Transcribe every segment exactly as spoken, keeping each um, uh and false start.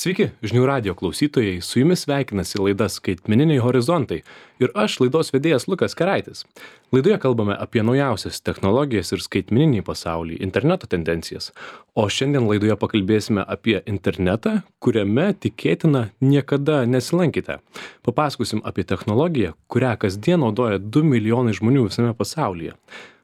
Sveiki, žinių radio klausytojai, su jumis sveikinasi laida Skaitmeniniai horizontai ir aš laidos vedėjas Lukas Keraitis. Laidoje kalbame apie naujausias technologijas ir skaitmeninį pasaulį, interneto tendencijas, o šiandien laidoje pakalbėsime apie internetą, kuriame tikėtina niekada nesilankite. Papasakosim apie technologiją, kurią kasdien naudoja du milijonai žmonių visame pasaulyje.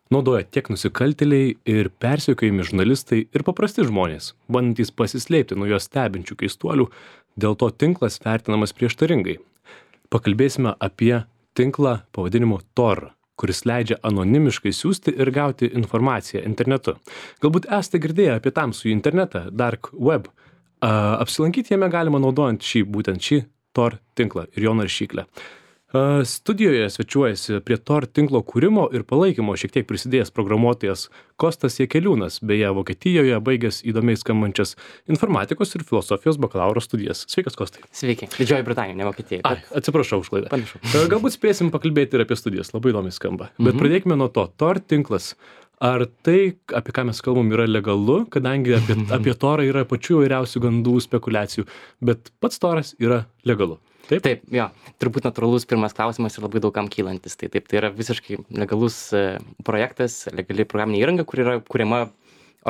Naudoja tiek nusikaltėliai ir persekiojami žurnalistai ir paprasti žmonės, bandantys pasislėpti nuo jos stebinčių keistuolių, dėl to tinklas vertinamas prieštaringai. Pakalbėsime apie tinklą pavadinimu Tor, kuris leidžia anonimiškai siųsti ir gauti informaciją internetu. Galbūt esate girdėję apie tamsųjį internetą, Dark Web. A, apsilankyti jame galima naudojant šį, būtent šį Tor tinklą ir jo naršyklę. Studijoje svečiuojasi prie Tor tinklo kūrimo ir palaikymo šiek tiek prisidėjęs programuotojas Kostas Jakeliūnas, beje, Vokietijoje baigęs įdomiai skambančias informatikos ir filosofijos bakalauro studijas. Sveikas, Kostai. Sveiki. Didžioji Britanija, ne Vokietija. Ai, atsiprašau už klaidą. Panašu. Galbūt spėsim pakalbėti ir apie studijas, labai įdomiai skamba. Bet mhm. pradėkime nuo to. Tor tinklas. Ar tai, apie ką mes kalbam, yra legalu, kadangi apie, apie Torą yra pačių įvairiausių gandų, spekulacijų, bet pats Toras yra legalu. Taip? Taip, jo. Turbūt natūralus pirmas klausimas ir labai daugam kylantis. Tai taip, tai yra visiškai legalus projektas, legali programinė įranga, kur yra kuriama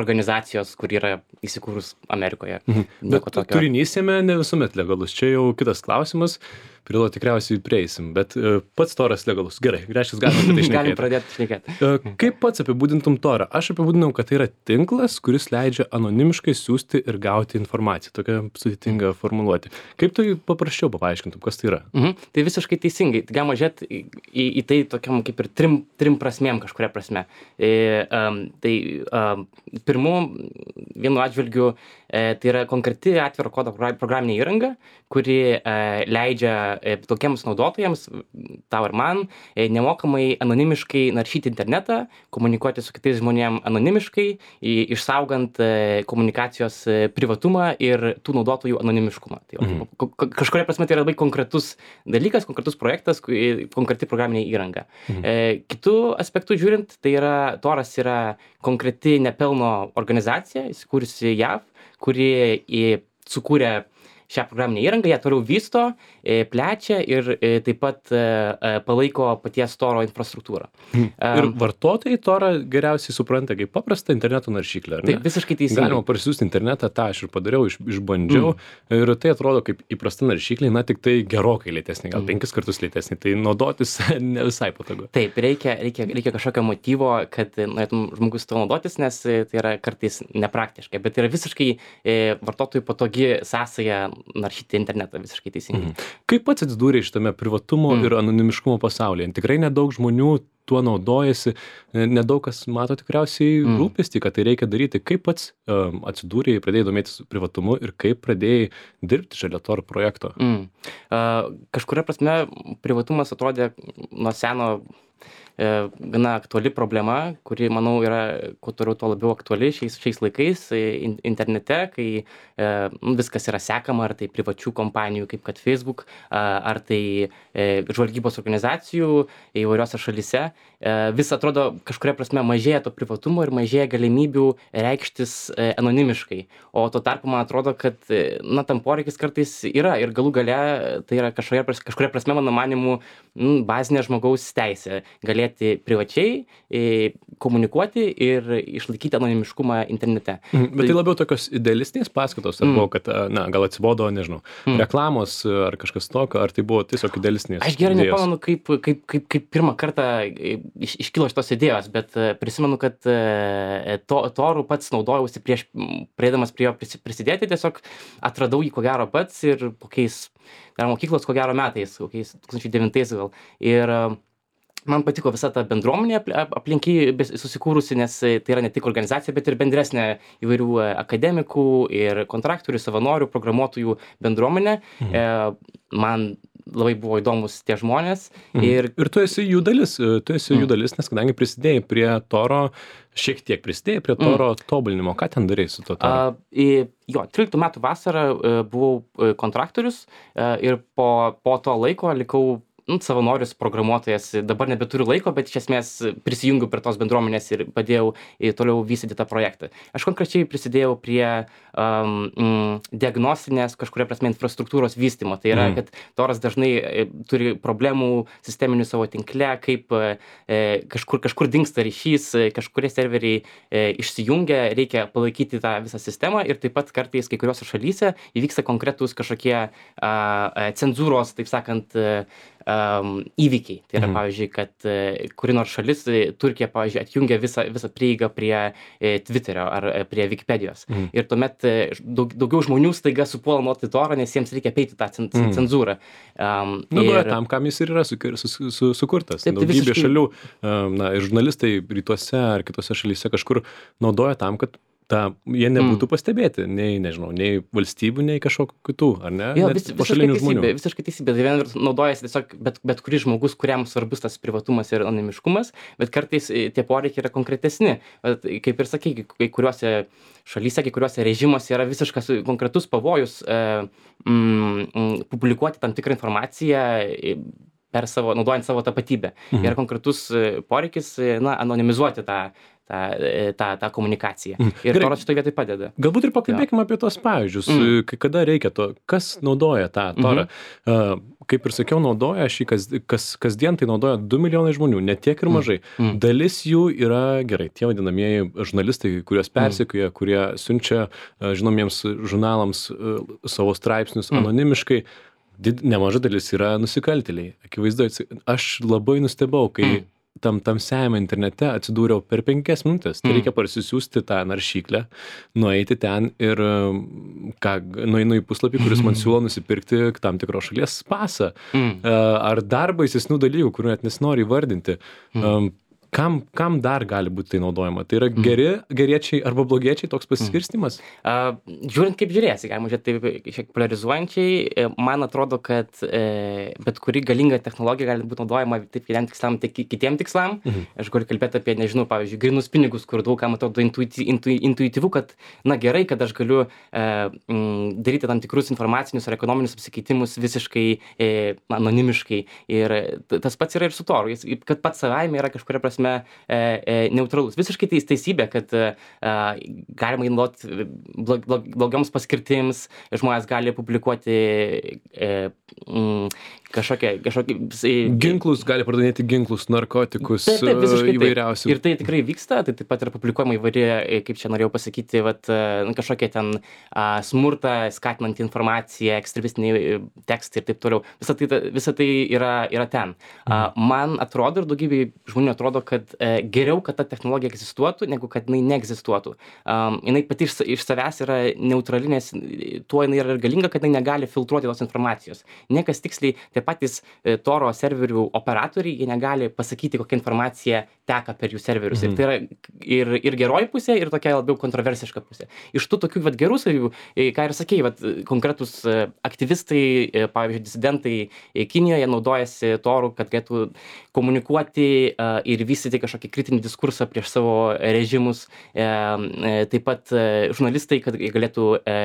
organizacijos, kur yra įsikūrus Amerikoje. Mhm. Bet turinys jame ne visuomet legalus. Čia jau kitas klausimas, prie to tikriausiai prieisim, bet uh, pats Toras legalus. Gerai, reiškia, galime apie tai šnekėti. Galim pradėti šnekėti. Uh, kaip pats apibūdintum Torą? Aš apibūdinau, kad tai yra tinklas, kuris leidžia anonimiškai siųsti ir gauti informaciją. Tokia sudėtinga formuluoti. Kaip tu paprasčiau paaiškintum, kas tai yra? Mhm. Tai visiškai teisingai. Tai galima žiūrėti į, į, į tai tokiam kaip ir trim, trim prasmėm kažkuria prasme. E, um, tai um, pirmu, vienu atžvilgiu, e, tai yra konkreti atviro kodo programinė įranga, kuri e, leidžia e, tokiems naudotojams, tau ir man, e, nemokamai anonimiškai naršyti internetą, komunikuoti su kitais žmonėm anonimiškai, į, išsaugant e, komunikacijos e, privatumą ir tų naudotojų anonimiškumą. Tai, mhm. Kažkuria prasme tai yra labai konkretus dalykas, konkretus projektas, konkreti programinė įranga. Mhm. E, kitų aspektų žiūrint, tai yra, Toras yra konkreti nepelno organizacija, įsikūrusi J A V, kuri į, sukūrė šią programinę įrangą, ją toliau vysto, plečia ir taip pat palaiko paties Toro infrastruktūrą. Hmm. Ir vartotojai Torą geriausiai supranta kaip paprastą interneto naršyklę, ar ne? Taip, visiškai teisingai. Galima parsiųsti internetą, tą aš ir padariau, iš, išbandžiau, mm. ir tai atrodo kaip įprasta naršyklė, na tik tai gerokai lėtesnė, gal mm. penkis kartus lėtesnė, tai naudotis ne visai patogu. Taip, reikia, reikia, reikia kažkokio motyvo, kad norėtum žmogus to naudotis, nes tai yra kartais nepraktiškai, bet yra visiškai e, vartotojų patogi sąsaja naršyti internetą, visiškai teisingai. Mhm. Kaip pats atsidūrė šitame privatumo mm. ir anonimiškumo pasaulyje? Tikrai nedaug žmonių tuo naudojasi, nedaug kas mato tikriausiai mm. rūpestį, kad tai reikia daryti. Kaip pats um, atsidūrė, pradėjai domėtis privatumu ir kaip pradėjai dirbti šalia Tor projekto? Mm. Uh, kažkuria prasme privatumas atrodė nuo seno e, gana aktuali problema, kuri, manau, yra kuo toliau tuo labiau aktuali šiais, šiais laikais in, internete, kai e, viskas yra sekama, ar tai privačių kompanijų, kaip kad Facebook, a, ar tai e, žvalgybos organizacijų įvairiose šalyse. E, vis atrodo, kažkuria prasme mažėja to privatumo ir mažėja galimybių reikštis e, anonimiškai. O tuo tarpu man atrodo, kad e, na, tam poreikis kartais yra ir galų gale tai yra kažkuria, kažkuria prasme, mano manimu, m, bazinė žmogaus teisė galėti privačiai e, komunikuoti ir išlaikyti anonimiškumą internete. Mhm, bet tai, tai labiau tokios idealistinės paskatos, ar mm. buvo, kad, na, gal atsibodo, nežinau, mm. reklamos ar kažkas tokio, ar tai buvo tiesiog idealistinės? Aš gerai nepamenu, kaip, kaip, kaip, kaip pirmą kartą iš, iškilo šitos idėjos, bet prisimenu, kad to, Toru pats naudojausi prieš, priedamas prie jo prisidėti, tiesiog atradau jį ko gero pats ir kokiais, dar mokyklos ko gero metais, kokiais du tūkstančiai devintais gal. Ir man patiko visa ta bendruomenė aplinky susikūrusi, nes tai yra ne tik organizacija, bet ir bendresnė įvairių akademikų ir kontraktorių, savanorių, programuotojų bendruomenė. Mhm. E, man labai buvo įdomus tie žmonės. Mhm. Ir, ir tu esi jų dalis, tu esi mhm. jų dalis, nes kadangi prisidėjai prie Toro, šiek tiek prisidėjai prie Toro mhm. tobulinimo. Ką ten darei su to Toro? Uh, jo, tryliktų metų vasarą uh, buvau uh, kontraktorius uh, ir po, po to laiko likau nu, savanorius programuotojas, dabar nebeturiu laiko, bet iš esmės prisijungiu prie tos bendruomenės ir padėjau e, toliau vystyti tą projektą. Aš konkrečiai prisidėjau prie um, mm, diagnostinės kažkuria prasme infrastruktūros vystymo. Tai yra, mm. kad Toras dažnai e, turi problemų sisteminių savo tinkle, kaip e, kažkur, kažkur dingsta ryšys, e, kažkurie serveriai e, išsijungia, reikia palaikyti tą visą sistemą ir taip pat kartais kai kuriuose šalyse įvyksta konkretūs kažkokie a, a, cenzūros, taip sakant, um, įvykiai. Tai yra, mhm. pavyzdžiui, kad uh, kuri nors šalis, Turkija, pavyzdžiui, atjungia visą, visą prieigą prie e, Twitterio ar e, prie Wikipedijos. Mhm. Ir tuomet e, daug, daugiau žmonių staiga supuola nuoti Torą, nes jiems reikia peiti tą cen, mhm. cenzūrą. Um, Naudoja ir... tam, kam jis ir yra su, su, su, sukurtas. Taip, tai daugybė visiškai... šalių, um, na, žurnalistai rytuose ar kitose šalyse kažkur naudoja tam, kad ta, jie nebūtų mm. pastebėti, nei, nežinau, nei valstybių, nei kažkokių kitų, ar ne? Jo, vis, visiškai teisybė, visiškai teisybė. Tai vien naudojasi tiesiog bet, bet kuris žmogus, kuriam svarbus tas privatumas ir anonimiškumas, bet kartais tie poreikiai yra konkretesni. Bet, kaip ir sakai, kai kuriuose šalyse, kai kuriuose režimuose yra visiškas konkretus pavojus e, mm, publikuoti tam tikrą informaciją per savo, naudojant savo tapatybę. Mhm. Yra konkretus poreikis, na, anonimizuoti tą tą, tą, tą komunikaciją. Mm. Ir Toras šitoje vietoje padeda. Galbūt ir pakalbėkime apie tos pavyzdžius, mm. kada reikia to, kas naudoja tą Torą. Mm-hmm. Uh, kaip ir sakiau, naudoja šį, kas, kas, kasdien tai naudoja du milijonai žmonių, ne tiek ir mažai. Mm. Dalis jų yra gerai, tie vadinamieji žurnalistai, kuriuos persekioja, mm. kurie siunčia uh, žinomiems žurnalams uh, savo straipsnius mm. anonimiškai. Did, nemaža dalis yra nusikaltėliai. Akivaizdu, aš labai nustebau, kai mm. tam tamsiajame internete atsidūriau per penkias minutės. Tai mm. reikia parsisiųsti tą naršyklę, nueiti ten ir ką, nueinu į puslapį, kuris man siūlo nusipirkti tam tikros šalies pasą. Mm. Ar dar baisesnių dalykų, kurių net nesinori įvardinti. Mm. Kam, kam dar gali būti tai naudojama? Tai yra geri, geriečiai arba blogiečiai toks pasiskirstimas? Uh, žiūrint kaip žiūrėsi, galima žiūrėti taip šiek polarizuojančiai, man atrodo, kad e, bet kuri galinga technologija gali būti naudojama taip vienam tikslam, tiek kitiem tikslam. Mhm. Aš galiu kalbėti apie, nežinau, pavyzdžiui, grinus pinigus, kur daug kam atrodo intuiti, intu, intuityvu, kad, na gerai, kad aš galiu e, m, daryti tam tikrus informacinius ar ekonominius apsikeitimus visiškai e, anonimiškai. Ir tas pats yra ir su Toru, jis, kad pats savaime yra kažkuria prasme E, e, neutralus. Visiškai teis, teisybė, kad e, galima įnaudoti blog, blog, blogioms paskirtims, žmonės gali publikuoti e, m, kažkokie, kažkokie... Ginklus, gali pardavinėti ginklus, narkotikus, taip, taip, įvairiausių. Ir tai tikrai vyksta, tai taip pat yra publikuojama įvairi, kaip čia norėjau pasakyti, vat, kažkokie ten a, smurtą, skatinant informaciją, ekstremistiniai tekstai ir taip toliau. Visa tai, visa tai yra, yra ten. A, man atrodo ir daugybė žmonių atrodo, kad e, geriau, kad ta technologija egzistuotų, negu kad jinai neegzistuotų. Um, jinai pati iš, iš savęs yra neutrali, nes tuo jinai yra galinga, kad jinai negali filtruoti tos informacijos. Niekas tiksliai, tie patys e, Toro serverių operatoriai, jie negali pasakyti, kokia informacija teka per jų serverius. Mhm. Ir tai yra ir, ir geroji pusė, ir tokia labiau kontroversiška pusė. Iš tų tokių vat, gerų savybių, e, ką ir sakei, vat, konkretus e, aktyvistai, e, pavyzdžiui, disidentai e, Kinijoje naudojasi Toru, kad galėtų komunikuoti e, ir vystyti kažkokį kritinį diskursą prieš savo režimus. E, e, taip pat e, žurnalistai, kad galėtų e,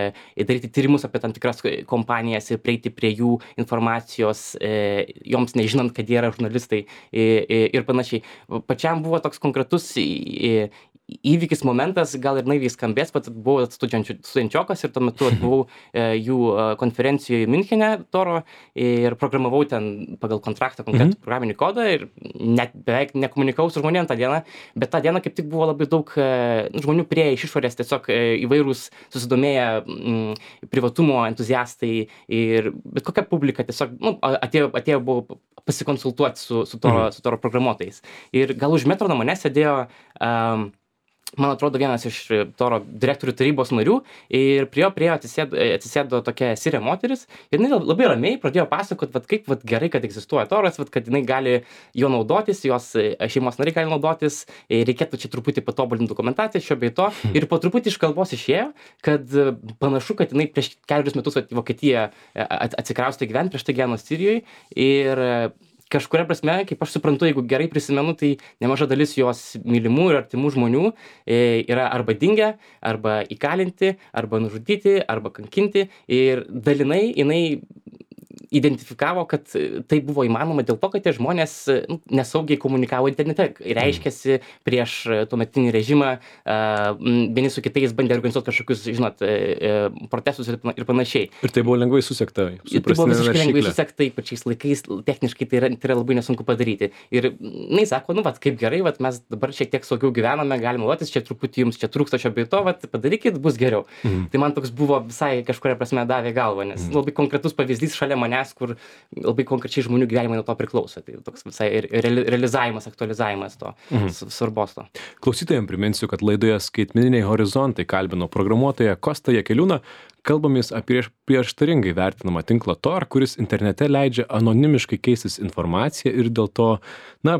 daryti tyrimus apie tam tikras kompanijas ir prieiti prie jų informacijos, e, joms nežinant, kad jie yra žurnalistai e, e, ir panašiai. Pačiam buvo toks konkretus e, įvykis, momentas, gal ir naiviai skambės, bet buvau studentiokas ir tuo metu buvau e, jų konferencijoje Miunchene Toro ir programavau ten pagal kontraktą konkretų mm-hmm. programinį kodą ir net beveik nekomunikavau su žmonėm tą dieną, bet tą dieną kaip tik buvo labai daug e, žmonių prie iš išorės, tiesiog e, įvairūs susidomėję m, privatumo entuziastai ir bet kokia publika tiesiog nu, atėjo, atėjo buvo pasikonsultuoti su, su, Toro, mm-hmm. su Toro programuotojais. Ir gal už metro nuo manęs sėdėjo um, man atrodo, vienas iš Toro direktorių tarybos narių ir prie jo prie jo atsisėdo, atsisėdo tokia sirė moteris ir jinai labai ramiai pradėjo pasakot, vat, kaip vat, gerai, kad egzistuoja Toras, vat, kad jinai gali jo naudotis, jos šeimos nariai gali naudotis, reikėtų čia truputį patobulinti dokumentaciją šio bei to ir po truputį iš kalbos išėjo, kad panašu, kad jinai prieš kelius metus vat, į Vokietiją atsikraustė gyventi, prieš tai gyveno Sirijoje ir kažkuria prasme, kaip aš suprantu, jeigu gerai prisimenu, tai nemaža dalis jos mylimų ir artimų žmonių e, yra arba dingę, arba įkalinti, arba nužudyti, arba kankinti ir dalinai jinai identifikavo, kad tai buvo įmanoma dėl to, kad tie žmonės nu, nesaugiai komunikavo internete. Reiškiasi prieš tuometinį režimą, vieni su kitais bandė organizuoti kažkokius, žinot, protestus ir panašiai. Ir tai buvo lengvai susekta. Tai buvo visiškai lengvai susekta, pačiais laikais, techniškai tai yra, tai yra labai nesunku padaryti. Ir jinai sako, nu, vat, kaip gerai, vat, mes dabar šiek tiek saugiau gyvename, galime naudotis, čia truputį jums čia trūksta šio bei to, vat, padarykit, bus geriau. Mhm. Tai man toks buvo visai kažkuria prasme davė galvą, nes mhm. labai konkretus pavyzdys šalia manęs, kur labai konkrečiai žmonių gyvenimai nuo to priklauso. Tai toks visai realizavimas, aktualizavimas to, mhm. svarbos to. Klausytojams priminsiu, kad laidoje Skaitmeniniai horizontai kalbino programuotoją Kostą Jakeliūną. Kalbamės apie prieštaringai vertinamą tinklą Tor, kuris internete leidžia anonimiškai keistis informaciją ir dėl to, na,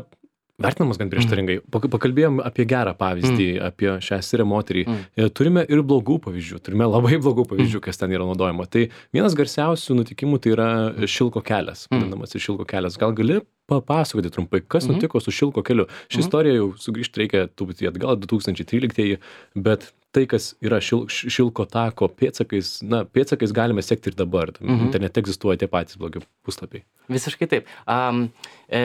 vertinamas gan prieštaringai. Pakalbėjom apie gerą pavyzdį, mm. apie šią sirę moterį. Mm. Turime ir blogų pavyzdžių, turime labai blogų pavyzdžių, kas ten yra naudojama. Tai vienas garsiausių nutikimų tai yra Šilko kelias, vadinamas ir Šilko kelias. Gal gali papasakoti trumpai, kas mm. nutiko su Šilko keliu? Ši mm. istorija jau sugrįžti reikia truputį atgal, du tūkstančiai tryliktieji, bet tai, kas yra šil, Šilko tako pėdsakais, na, pėdsakais galime sekti ir dabar. Mm-hmm. Internete egzistuoja tie patys blogi puslapiai. Visiškai taip. Um, e,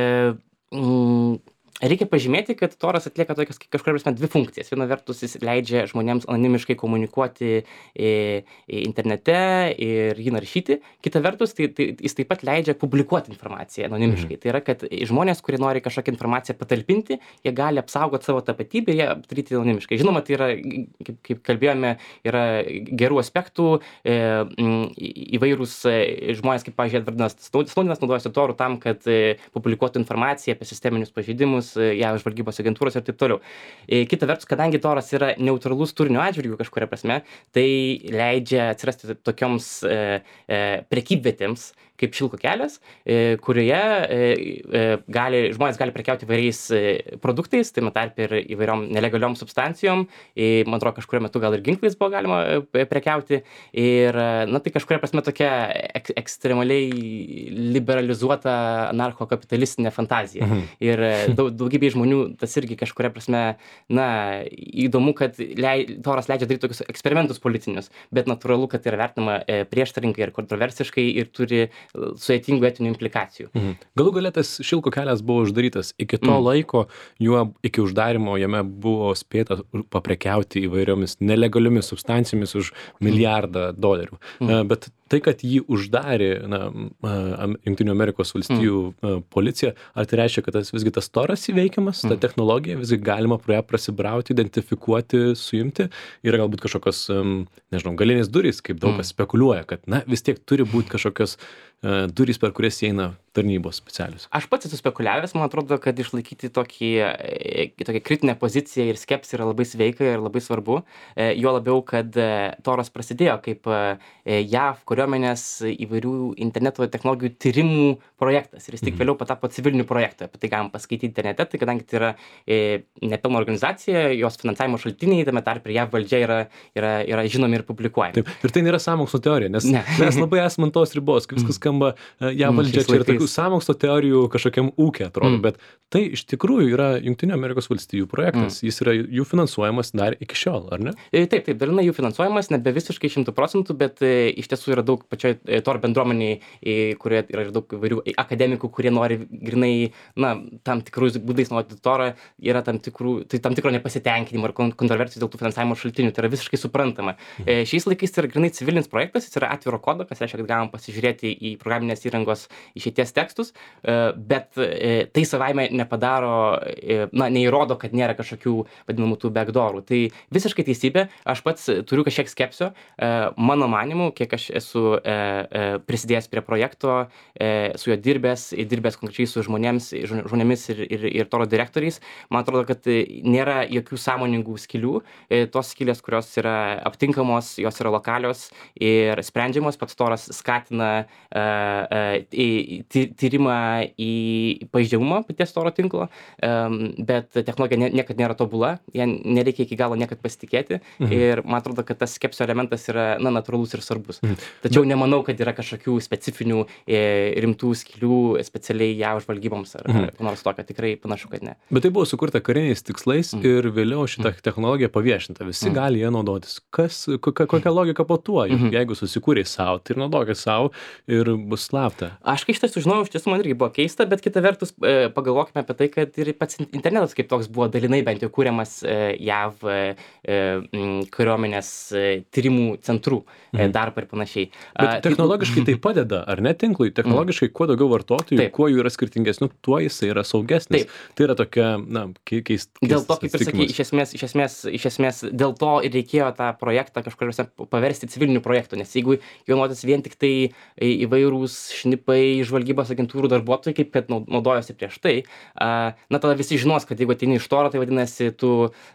mm, Reikia pažymėti, kad Toras atlieka tokias kažkuria prasme dvi funkcijas. Viena vertus jis leidžia žmonėms anonimiškai komunikuoti e, internete ir jį naršyti. Kita vertus, tai, tai jis taip pat leidžia publikuoti informaciją anonimiškai. Mhm. Tai yra, kad žmonės, kurie nori kažkokią informaciją patalpinti, jie gali apsaugoti savo tapatybę ir ją daryti anonimiškai. Žinoma, tai yra, kaip, kaip kalbėjome, yra gerų aspektų, e, įvairūs žmonės, kaip, pavyzdžiui, Edvardas Snowdenas naudojasi Toru tam, kad e, publikuotų informaciją apie sisteminius pažeidimus, jav žvalgybos agentūros ir taip toliau. Kita vertus, kadangi Toras yra neutralus turinio atžvilgiu kažkuria prasme, tai leidžia atsirasti tokioms e, e, prekybvietėms kaip Šilko kelias, e, kurioje e, e, gali, žmonės gali prekiauti įvairiais e, produktais, tai tarp ir įvairiom nelegaliom substancijom, e, man atrodo, kažkurio metu gal ir ginklais buvo galima e, prekiauti. Ir, na, tai kažkuria prasme tokia ek, ekstremaliai liberalizuota anarcho-kapitalistinė fantazija. Mhm. Ir daug, daugybė žmonių tas irgi kažkuria prasme, na, įdomu, kad lei, Toras leidžia daryti tokius eksperimentus politinius, bet natūralu, kad tai yra vertinama e, prieštaringai ir kontroversiškai ir turi sudėtingų etinių implikacijų. Mhm. Galų gale tas Šilko kelias buvo uždarytas. Iki to mm. laiko, juo iki uždarimo jame buvo spėta paprekiauti įvairiomis nelegaliomis substancijomis už milijardą dolerių. Mm. Bet tai, kad jį uždarė na, Jungtinių Amerikos valstijų mm. policija, ar tai reiškia, kad tas, visgi tas Toras įveikiamas, mm. ta technologija, visgi galima pro ją prasibrauti, identifikuoti, suimti, yra galbūt kažkokios, nežinau, galinės durys, kaip daug kas mm. spekuliuoja, kad na, vis tiek turi būti kažkokios uh, durys, per kurias įeina tarnybos specialius. Aš pats esu spekuliavęs, man atrodo, kad išlaikyti tokį, tokią kritinę poziciją ir skepsį yra labai sveika ir labai svarbu. Jo labiau, kad Toras prasidėjo kaip jav kariuomenės įvairių interneto technologijų tyrimų projektas ir jis tik vėliau patapo civiliniu projektu. Apie tai galim paskaityti internete, tai kadangi tai yra nepilna organizacija, jos finansavimo šaltiniai, tame tarp ir jav valdžia yra, yra, yra žinomi ir publikuojami. Taip. Ir tai nėra sąmokslo teorija, nes ne. mes labai esame ant tos ribos, kai viskas skamba jav valdžia, čia yra tokių sąmokslo teorijų kažkokiam ūkiai atrodo, mm. bet tai iš tikrųjų yra Jungtinių Amerikos valstijų projektas. Mm. Jis yra jų finansuojamas dar iki šiol, ar ne? Taip, taip, dalinai jų finansuojamas, nebe visiškai šimtų procentų, bet e, iš tiesų yra daug pačioj e, Tor bendruomeniai, e, kurioje yra ir daug įvairių akademikų, kurie nori grinai, na, tam tikrus būdais naudoti Torą, yra tam tikrų, tai tam tikro nepasitenkinimo ir kontroversijų dėl tų finansavimo šaltinių, tai yra visiškai suprantama. Mm. E, šiais laikais tai yra grinai civilinis projektas, jis yra atviro kodo, kas reiškia, kad galima pasižiūrėti į programinės įrangos išeities tekstus, bet tai savaime nepadaro, na, neįrodo, kad nėra kažkokių vadinamų tų backdoorų. Tai visiškai teisybė, aš pats turiu kažkiek skepsio, mano manimu, kiek aš esu prisidėjęs prie projekto, su juo dirbęs, dirbęs konkrečiai su žmonėms, žmonėmis ir, ir, ir Toro direktoriais, man atrodo, kad nėra jokių sąmoningų skilių, tos skilės, kurios yra aptinkamos, jos yra lokalios ir sprendžiamos, pats Toras skatina ty tyrimą į pažeidžiamumą paties oro tinklo, em, bet technologija ne niekad nėra tobula, ja nereikia iki galo niekad pasitikėti ir man atrodo, kad tas skepsio elementas yra, na, natūralus ir svarbus. Tačiau nemanau, kad yra kažkokių specifinių e, rimtų skylių specialiai jav žvalgyboms ar, ar ko nors tokio. Tikrai panašu, kad ne. Bet tai buvo sukurta kariniais tikslais ir vėliau šita technologija paviešinta. Visi gali ją naudotis. Kas, kokia, kokia logika po tuo? Jeigu susikūrei savo, tai ir naudokit savo ir bus slapta. Aš kai šitą sužinojau, iš tiesų man irgi buvo keista, bet kita vertus e, pagalvokime apie tai, kad ir pats internetas kaip toks buvo dalinai bent jau kūriamas e, jav e, kariuomenės e, tyrimų centrų e, darbą ir panašiai. Bet technologiškai tai padeda, ar ne tinklui? Technologiškai kuo daugiau vartotojų, Taip. kuo jų yra skirtingesnių, tuo jisai yra saugesnis. Taip. Tai yra tokia, na, keist, keist, Dėl to, kaip ir sakai, iš esmės, iš esmės, iš esmės, dėl to ir reikėjo tą projektą kažkuriuose paversti civiliniu projektu, nes jeigu jau naudotis vien tik tai įvairūs šnipai, žvalgybos agentūrų darbuotojai, kaip kad naudojosi prieš tai, na tada visi žinos, kad jeigu ateini iš toro, tai vadinasi, tu,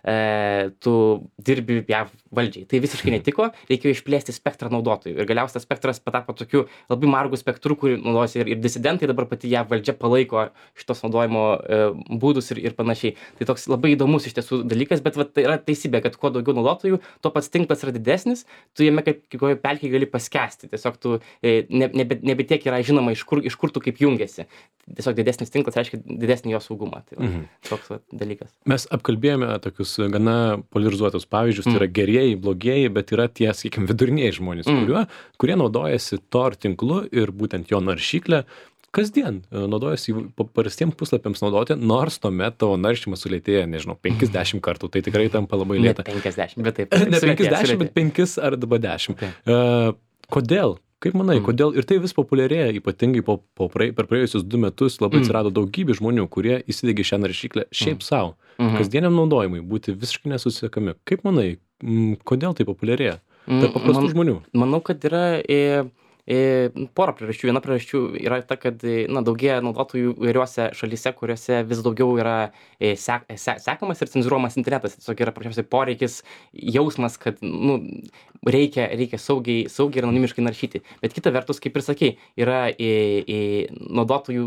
e, tu dirbi jav valdžiai. Tai visiškai netiko, reikėjo išplėsti spektrą naudotojų. Ir galiausiai tas spektras patapo tokiu labai margu spektru, kurį naudojasi ir, ir disidentai, dabar pati jav valdžia palaiko šitos naudojimo e, būdus ir, ir panašiai. Tai toks labai įdomus iš tiesų dalykas, bet va, tai yra teisybė, kad kuo daugiau naudotojų, tuo pats tinklas yra didesnis, tu jame kaip kokioje pelkėje gali paskęsti. Tiesiog tu e, ne, nebe, nebe tiek yra žinoma, iš kur, iš kur tu kaip jungiasi. Tiesiog didesnis tinklas reiškia didesnį jo saugumą. Tai va, mhm. toks va, dalykas. Mes apkalbėjome tokius gana polarizuotus pavyzdžius, tai yra gerieji, blogieji, bet yra tie, sakykime, viduriniai žmonės, mm. kuriuo, kurie naudojasi tor tinklu ir būtent jo naršyklę kasdien naudojasi paprastiem puslapiams naudoti, nors tuomet tavo naršymas sulėtėja, nežinau, penkiasdešimt kartų, tai tikrai tampa labai lėta. Ne penkiasdešimt, bet taip. Ne penkiasdešimt, bet penkis arba dešimt. Uh, kodėl? Kaip manai, mm. kodėl? Ir tai vis populiarėja, ypatingai po, po prae, per praėjusius du metus labai mm. atsirado daugybė žmonių, kurie įsidegė šią naršyklę šiaip mm. savo, mm-hmm. kasdieniam naudojimui, būti visiškai nesusiekami. Kaip manai, m, kodėl tai populiarėja? Tarp paprastų Man, žmonių. Manau, kad yra... E... Porą priežasčių. Viena priežasčių yra ta, kad na, daugėja naudotojų įvairiuose šalyse, kuriuose vis daugiau yra sek, sek, sekamas ir cenzūruojamas internetas. Tiesiog yra paprasčiausiai poreikis, jausmas, kad nu, reikia, reikia saugiai, saugiai ir anonimiškai naršyti. Bet kita vertus, kaip ir sakei, yra į, į naudotojų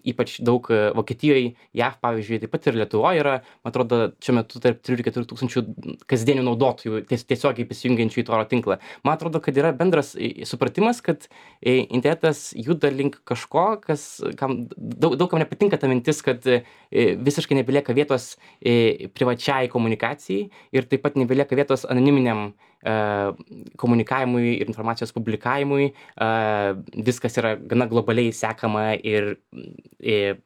ypač daug Vokietijoje, jav pavyzdžiui, taip pat ir Lietuvoje yra, man atrodo, šiuo metu tarp trijų ir keturių tūkstančių kasdienių naudotojų ties, tiesiogiai prisijungiančių į toro tinklą. Man atrodo, kad yra bendras supratimas, kad kad internetas juda link kažko, kas, kam, daug, daug kam nepatinka ta mintis, kad visiškai nebelieka vietos privačiai komunikacijai ir taip pat nebelieka vietos anoniminiam komunikavimui ir informacijos publikavimui. Viskas yra gana globaliai sekama ir, ir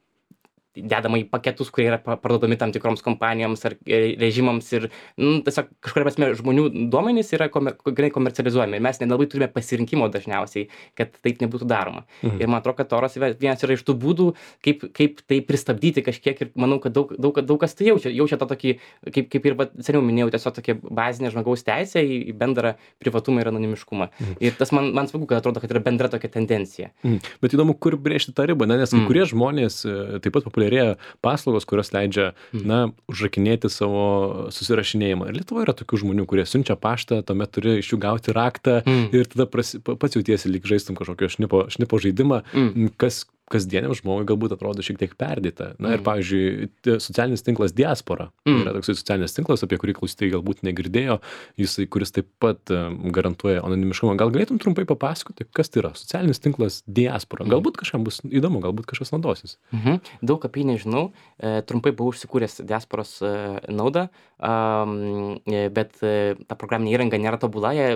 dedama į paketus, kurie yra parduodami tam tikroms kompanijoms ar režimams ir nu, tiesiog kažkuria prasme žmonių duomenys yra komer, komercializuojami ir mes nelabai turime pasirinkimo dažniausiai, kad taip nebūtų daroma. Mhm. Ir man atrodo, kad toras vienas yra iš tų būdų, kaip, kaip tai pristabdyti kažkiek ir manau, kad daug, daug, daug kas tai jaučia. Jaučia tą tokį, kaip, kaip ir seniau minėjau, tiesiog tokia bazinė žmogaus teisė į bendrą privatumą ir anonimiškumą. Mhm. Ir tas man, man smagu, kad atrodo, kad yra bendra tokia tendencija. Mhm. Bet įdomu, kur brėžti tą ribą, ne? Nes kai mhm. kurie žmonės taip pat populiarėja paslaugos, kurios leidžia, na, užrakinėti savo susirašinėjimą. Ir Lietuvoje yra tokių žmonių, kurie siunčia paštą, tuomet turi iš jų gauti raktą mm. ir tada prasi, pats jautiesi lyg žaistum kažkokio šnipo, šnipo žaidimą, mm. kas kasdieniam žmogui galbūt atrodo šiek tiek perdėta. Na ir, pavyzdžiui, socialinis tinklas Diaspora. Mm. Yra toksai socialinis tinklas, apie kurį klausytojai galbūt negirdėjo, jisai, kuris taip pat garantuoja anonimiškumą. Gal galėtum trumpai papasakoti, kas tai yra socialinis tinklas Diaspora? Galbūt kažkam bus įdomu, galbūt kažkas naudosis. Mhm. Daug apie jį nežinau. E, trumpai buvau užsikūręs Diasporos e, naudą, um, e, bet e, ta programinė įranga nėra tobula, jie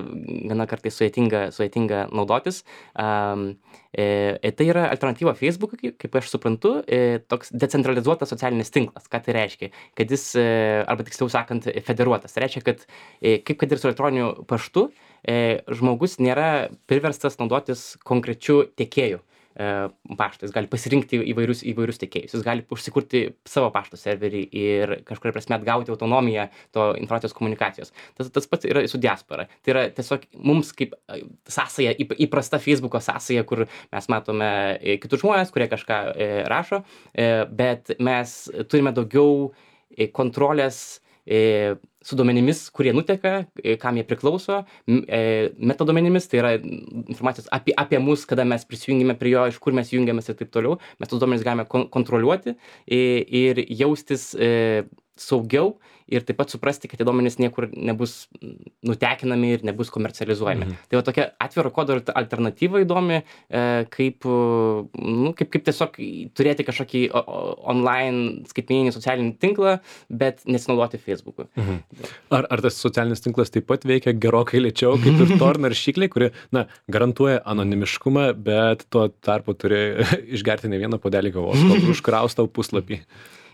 gana kartais sudėtinga, sudėtinga naudotis. Um, E, tai yra alternatyva Facebook'ui, kaip aš suprantu, e, toks decentralizuotas socialinis tinklas. Ką tai reiškia? Kad jis, e, arba tiksliau sakant, federuotas. Tai reiškia, kad e, kaip kad ir su elektroniniu paštu, e, žmogus nėra priverstas naudotis konkrečiu tiekėju paštą. Jis gali pasirinkti įvairius, įvairius tiekėjus. Jis gali užsikurti savo pašto serverį ir kažkuria prasme atgauti autonomiją to informacijos komunikacijos. Tas, tas pats yra su Diaspora. Tai yra tiesiog mums kaip sąsaja, įprasta Facebook'o sąsaja, kur mes matome kitus žmonės, kurie kažką rašo, bet mes turime daugiau kontrolės su duomenimis, kurie nuteka, kam jie priklauso, metaduomenimis, tai yra informacijos apie, apie mus, kada mes prisijungime prie jo, iš kur mes jungiamės ir taip toliau. Mes tos duomenis galime kon kontroliuoti ir jaustis saugiau ir taip pat suprasti, kad tie duomenys niekur nebus nutekinami ir nebus komercializuojami. Mhm. Tai va tokia atviro kodo alternatyva įdomi, kaip, nu, kaip, kaip tiesiog turėti kažkokį online skaitmeninį socialinį tinklą, bet nesinaudoti Facebook'u. Mhm. Ar, ar tas socialinis tinklas taip pat veikia gerokai lėčiau, kaip ir Tor naršyklė, kuri, na, garantuoja anonimiškumą, bet tuo tarpu turi išgerti ne vieną puodelį kavos, kol užkraus tau puslapį?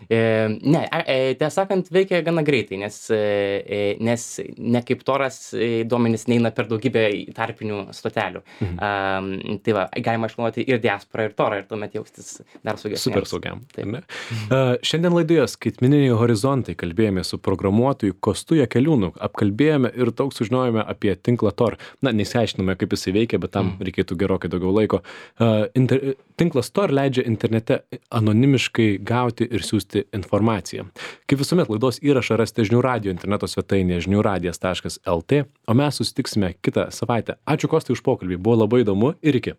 E, ne, e, tiesą sakant, veikia gana greitai, nes, e, nes ne kaip Toras duomenys neina per daugybę tarpinių stotelių. Mhm. Um, tai va, galima išnaudoti ir diasporą, ir Torą, ir tuomet jaustis dar saugesniam. Super saugiam. Uh, šiandien laidoje Skaitmeniniai horizontai kalbėjome su programuotoju Kostu Jakeliūnu, apkalbėjome ir daug sužinojome apie tinklą Tor. Na, nesiaiškinome, kaip jisai veikia, bet tam mhm. reikėtų gerokai daugiau laiko. Uh, inter, tinklas Tor leidžia internete anonimiškai gauti ir siūsti informaciją. Kaip visuomet, laidos įrašą rasite žinių radijo interneto svetainėje žinių radijas taškas el tė, o mes susitiksime kitą savaitę. Ačiū Kostai už pokalbį, buvo labai įdomu ir iki.